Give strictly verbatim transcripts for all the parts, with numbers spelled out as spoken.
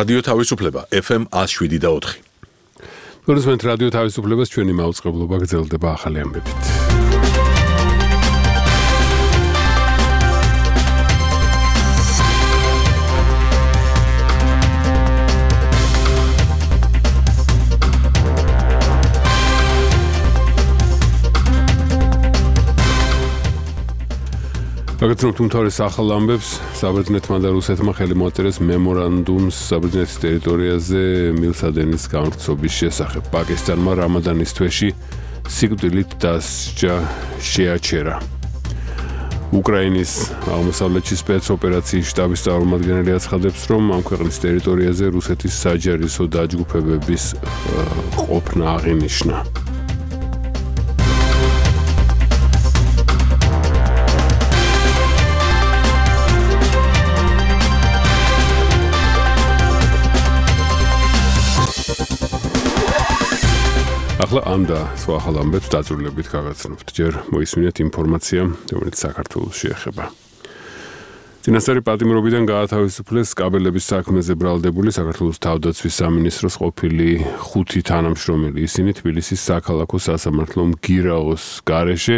რადიო თავისუფლება F M one oh seven და four. გულისხმობთ რადიო თავისუფლებას ჩვენი მაუწყებლობა გრძელდება ახალი ამბებით. გაგაცნობთ უმთავრეს ახალ ამბებს, საბერძნეთმა და რუსეთმა ხელი მოაწერეს მემორანდუმს საბერძნეთის ტერიტორიაზე მილსადენის გამრთობის შესახებ. პაკისტანმა რამადანის თვეში სიკვდილით დასჯა შეაჩერა. უკრაინის აღმოსავლეთში სპეცოპერაციის შტაბის წარმომადგენელი აცხადებს, რომ ამ ქვეყნის ტერიტორიაზე რუსეთის საჯარისო დაჯგუფებების ყოფნა აღინიშნა. ახლა ამ და სხვა ახალ ამბებს დაწვრილებით გაგაცნობთ. ჯერ მოისმინეთ ინფორმაცია, რომელიც საქართველოს შეეხება. წინასწარი პატიმრობიდან გაათავისუფლეს კაბელების საქმეზე ბრალდებული საქართველოს თავდაცვის სამინისტროს ყოფილი ხუთი თანამშრომელი. ისინი თბილისის საქალაქო სასამართლო მგირაოს გარეშე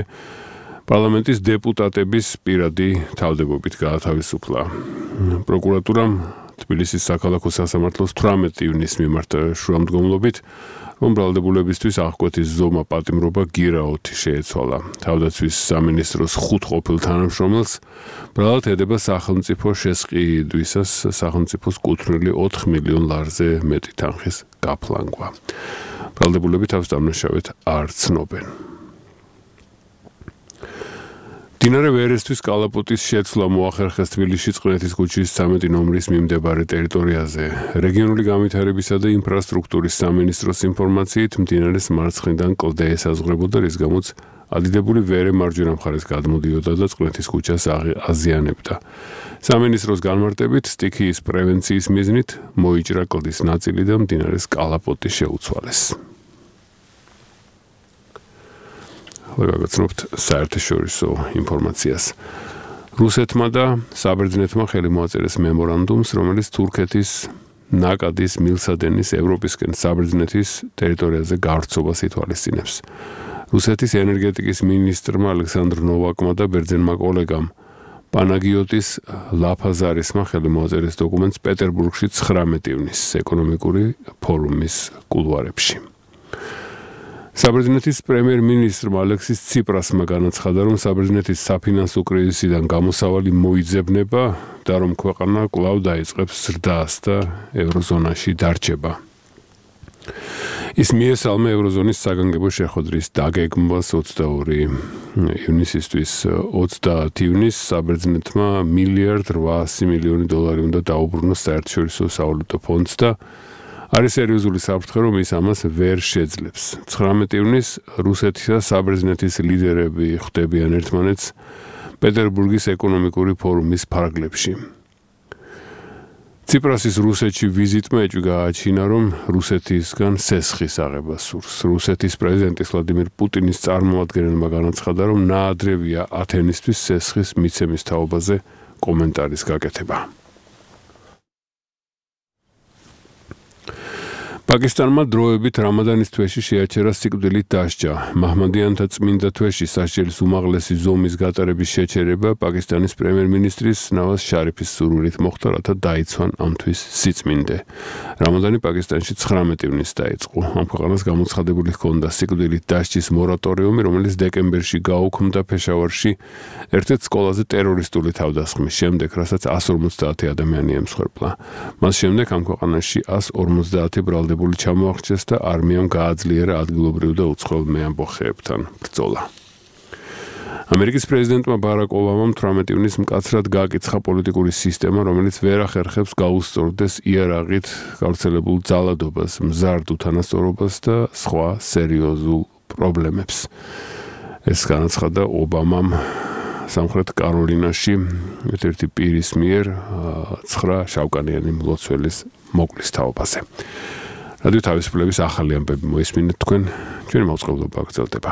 პარლამენტის დეპუტატების პირადი თავდებობით გაათავისუფლა. პროკურატურამ თბილისის საქალაქო სასამართლოს თვრამეტი ივნისის მიმართა შუამდგომლობით რომ ბრალდებულებისთვის აღკვეთის ზომა პატიმრობა გირაოთი შეეცვალა. თავდაცვის სამინისტროს ხუთ ყოფილ თანამშრომელს ბრალად ედება სახელმწიფო შესყიდვისას სახელმწიფოს კუთვნილი ოთხ მილიონ ლარზე მეტი თანხის გაფლანგვა. ბრალდებულები თავს დამნაშავედ არ ცნობენ. მდინარე ვერესთვის კალაპოტის შეცვლა მოახერხეს თბილისში წყნეთის ქუჩის ცამეტი ნომრის მიმდებარე ტერიტორიაზე. რეგიონული განვითარებისა და ინფრასტრუქტურის სამინისტროს ინფორმაციით მდინარეს მარცხნიდან კლდე ესაზღვრებოდა, რის გამოც ადიდებული ვერე მარჯვენა მხარეს გადმოდიოდა და წყნეთის ქუჩას აზიანებდა. სამინისტროს განმარტებით სტიქიის პრევენციის მიზნით მოიჭრა კლდის ნაწილი და მდინარეს კალაპოტი შეუცვალეს. გაგაცნობთ საერთაშორისო ინფორმაციას. რუსეთმა და საბერძნეთმა ხელი მოაწერეს მემორანდუმს, რომელიც თურქეთის ნაკადის მილსადენის ევროპისკენ საბერძნეთის ტერიტორიაზე გავრცობას ითვალისწინებს. რუსეთის ენერგეტიკის მინისტრმა ალექსანდრ ნოვაკმა და ბერძენმა კოლეგამ პანაგიოტის ლაფაზარისმა ხელი მოაწერეს დოკუმენტს პეტერბურგში ცხრამეტი ივნისის ეკონომიკური ფორუმის კულუარებში. საბერძნეთის პრემიერ-მინისტრმა ალექსის ციპრასმა განაცხადა, რომ საბერძნეთის საფინანსო კრიზისიდან გამოსავალი მოიძებნება და რომ ქვეყანა კვლავ დაიწყებს ზრდას და ევროზონაში დარჩება. ის მიესალმა ევროზონის საგანგებო შეხვედრის დაგეგმვას ოცდაორი ივნისისთვის. ოცდაათი ივნისს საბერძნეთმა მილიარდ რვაასი მილიონი დოლარი უნდა დაუბრუნოს საერთაშორისო სავალუტო ფონდს და არის სერიოზული საფრთხე, რომ ის ამას ვერ შეძლებს. ცხრამეტი ივნისს რუსეთის და საბერძნეთის ლიდერები ხვდებიან ერთმანეთს პეტერბურგის ეკონომიკური ფორუმის ფარგლებში. ციპრასის რუსეთში ვიზიტმა ეჭვი გააჩინა, რომ რუსეთისგან სესხის აღება სურს. რუსეთის პრეზიდენტის ვლადიმირ პუტინის წარმომადგენელმა განაცხადა, რომ ნაადრევია ათენისთვის სესხის მიცემის თაობაზე კომენტარის გაკეთება. პაკისტანმა დროებით რამადანის თვეში შეაჩერა სიკვდილით დასჯა. მაჰმადიანთა წმინდა თვეში სასჯელის უმაღლესი ზომის გატარების შეჩერება პაკისტანის პრემიერ-მინისტრის ნავაზ შარიფის სურვილით მოხდა, რათა დაიცვან ამ თვის სიწმინდე. რამადანი პაკისტანში ცხრამეტი ივნისს დაიწყო. ამ ქვეყანას გამოცხადებული ჰქონდა სიკვდილით დასჯის მორატორიუმი, რომელიც დეკემბერში გაუქმდა ფეშავარში ერთ-ერთ სკოლაზე ტერორისტული თავდასხმის შემდეგ, რასაც εκατს ორმოცდაათი ადამიანი ემსხვერპლა. მას შემდეგ ამ ქვეყანაში εκατს ორმოცდაათი ბრალდებული ჩამოაღწიეს და არმიამ გააძლიერა ადგილობრივ და უცხოელ მეამბოხეებთან ბრძოლა. ამერიკის პრეზიდენტმა ბარაკ ობამამ თვრამეტი ივნისს მკაცრად გააკიცხა პოლიტიკური სისტემა, რომელიც ვერ ახერხებს გაუსწორდეს იარაღით გავრცელებულ ძალადობას, მზარდ უთანასწორობას და სხვა სერიოზულ პრობლემებს. ეს განაცხადა ობამამ სამხრეთ კაროლინაში ერთ-ერთი პირის მიერ ცხრა შავკანიანი მლოცველის მოკლის თაობაზე. რადიო თავისუფლების ახალი ამბები მოისმინეთ თქვენ, ჩვენი მაუწყებლობა გრძელდება.